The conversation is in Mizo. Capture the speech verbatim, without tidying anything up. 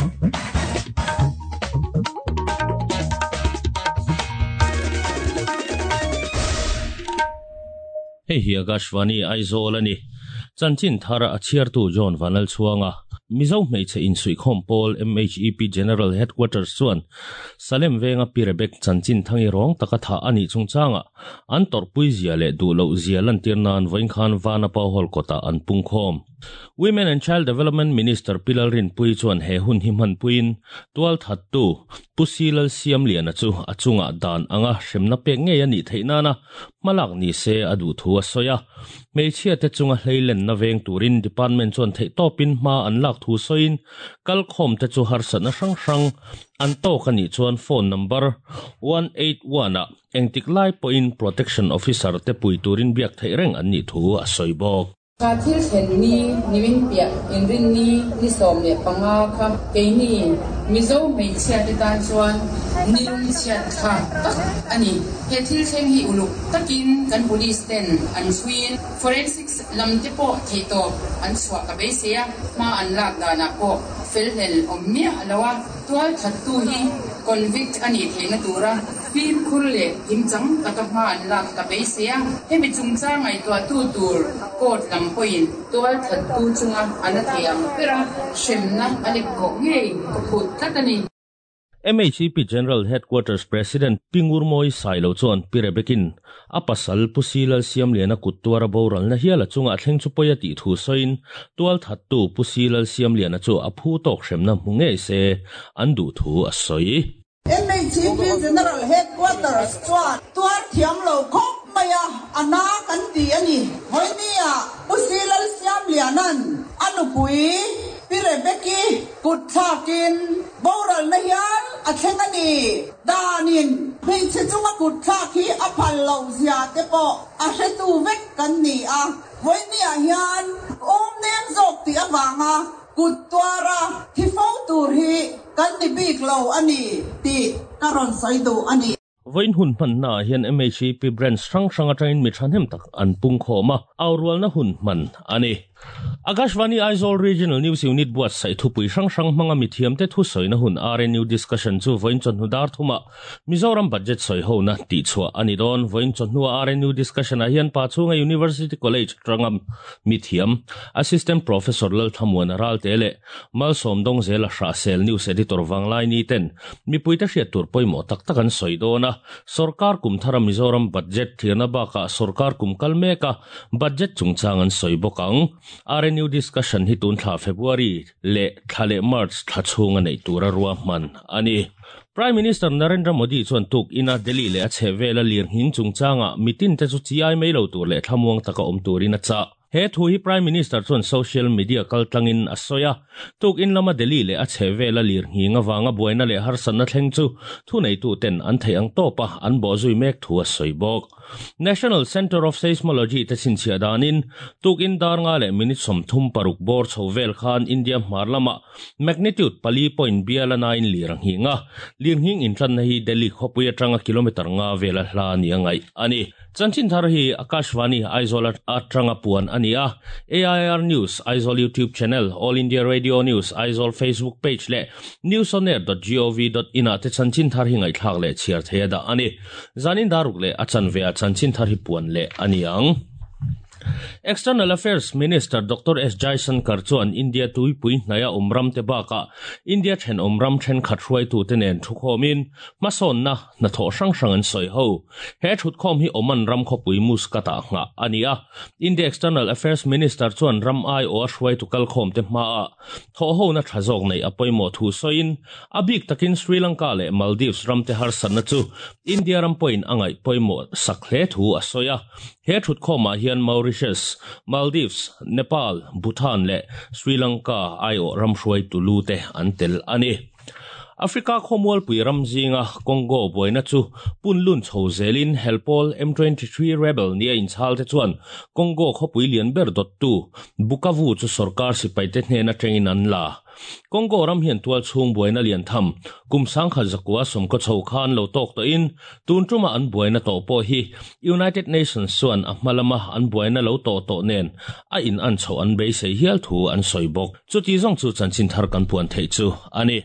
Hei hi Akashvani Aizawl ani chanchin thara a chhiartu John Vanal chuanga Mizo hmeichhe insuikhawm pawl M H E P General Headquarters chuan Salem venga Pirebek chanchin thangi rawng taka tha ani chungchanga an torpui zia leh duh loh zia lantir nan vawiin khan Vanapa Hall kawtah an pungkhawm. Women and Child Development Minister Pilal Rinpui chuan he hun hi hman puiin tual thattu Pusilal Siam Liana chu a chunga dan anga hremna pek ngei ani theih nana hmalak ni se a duh thu a sawi a. Hmeichhia te chunga hleilen na veng turin department chuan theih tawpin hma an lak thu sawiin kalkhawm te chu harsatna hrang hrang an tawk ani chuan phone number one eight one a engtik lai pawhin protection officer te pui turin biak theih reng an nih thu a sawi bawk. Kha thil thlen ni nimin piah inrin ni ni sawm leh panga kha keini Mizo hmeichhia te tan chuan nilung chhiat kha tak ani. He thil thleng hi uluk takin kan police ten an chhuiin forensics lam te pawh theih tawp an chhuah ka beisei a, hma an lak danah pawh felhlel awm miah lo a, tual thattu hi convict anih theihna tura fimkhur leh kimchang taka hma an lak ka beisei a, hemi chungchang ngaihtuahtu tur court lam pawhin tual thattu chunga an a thei ang ber a, hremna a lek kawh ngei ka phut tlat a ni. M H E P General Headquarters President Pingur Moi Sailo chuan Pirebekin a pasal Pusilal Siam Liana kut tuara boralna hial a chunga thleng chu pawi a tih thu sawiin tual thattu Pusilal Siam Liana chu a phu tawk hremna hmu ngei se an duh thu a sawi. M H E P General Headquarters chuan tuar thiam lo khawp mai a ana kan ti ani. Vawinia Pusilal Siam Lianan a nupui Pirebeki kut thlakin boralna hial a thleng ani. Danin hmeichhe chunga kut thlak hi a phal lo zia te pawh a hretu vek kan ni a. Vawinia hian awm nem zawk tih awanga kut tuara thi fo tur hi kan ni bik lo ani tih ka rawn sawi duh ani. Vawiin hun hman na hian M H E P branch hrang hrang atangin mi thahnem tak an pungkhawm a, aurualna hun hman ani. Akashvani Aizawl Regional News Unit buat sai thupui hrang hrang hmanga mi thiam te thu sawina hun R N U discussion chu vawiin chawhnu dar thuma Mizoram budget sawi ho na tih chhuah ani dawn. Vawiin chawhnu R N U discussion ah hian Pachhunga University College tangam mi thiam Assistant Professor Lalthamuan Ralte leh Malsawm Dawngzela Hrahsel News Editor Wanglai ni ten mipui te hriat tur pawimawh tak tak an sawi dawn a. Sarkar kum thara Mizoram budget thirna bakah sarkar kum kal mek a budget chungchang an sawi bawk ang. R N U discussion hi tun thla February le thla leh March thla chhunga nei tura ruah hman ani. Prime Minister Narendra Modi chuan tuk ina Delhi leh a chhehvela lirnghing chungchanga mitin te chu chi ai mai lo tur leh thlamuang taka awm turin a chah. He thu hi Prime Minister chuan social media kaltlangin a sawi a, tuk in lama Delhi leh a chhehvela lirnghing awanga buaina leh harsatna thleng chu thu neitu ten an thei ang tawpa an bawhzui mek thu a sawi bawk. National Center of Seismology te chhinchhiah danin tuk in dar nga leh minute sawmthum paruk bawr chho vel khan India hmar lama magnitude pali point biala nine lirnghing a, lirnghing intlanna hi Delhi khawpui atanga kilometer nga vela hla ni angai ani. Chanchin thar hi Akashvani Aizawl atanga puan ani a. A I R News Aizawl YouTube channel, All India Radio News Aizawl Facebook page leh newsonair dot gov dot in a te chanchin thar hi ngaihthlak leh chhiar theia dah ani. Zanin daruk leh a chanve a chanchin thar hi puan leh ani ang. External Affairs Minister Doctor S Jaishankar chuan India tuipui hnaya umram te baka India then umram then khat hruai tu te nen thukhawmin hmasawn na hnathawh hrang hrang an sawi ho. He thutkhawm hi Oman ram khawpui Muscat-ah nghah ani a. India External Affairs Minister chuan ram ai aw a hruai tu kalkhawm te hma a thawh ho na tha zawk nei a pawimawh thu sawiin a bik takin Sri Lanka leh Maldives ram te harsatna chu India ram pawhin a ngaih pawimawh sak hle thu a sawi a. He thutkhawmah hian Mauritius, Maldives, Nepal, Bhutan leh Sri Lanka ai aw ram hruai tulu te an tel ani. Africa khawmualpui ram zinga Congo buaina chu punlun chho zelin helpawl M twenty-three rebel nia inchhal te chuan Congo khawpui lian ber dottu Bukavu chu sarkar sipai te hnena tengin an la. Congo ram hian tual chhung buaina lian tham kum sangkhat zakua somka chho khan lo tok to in tun tuma an buaina to pawh hi United Nations chuan a hmalama an buaina lo to to nen a in an chho an beisei hial thu an sawi bawk. Chuti zawng chu chanchin thar kan puan thei chu ani.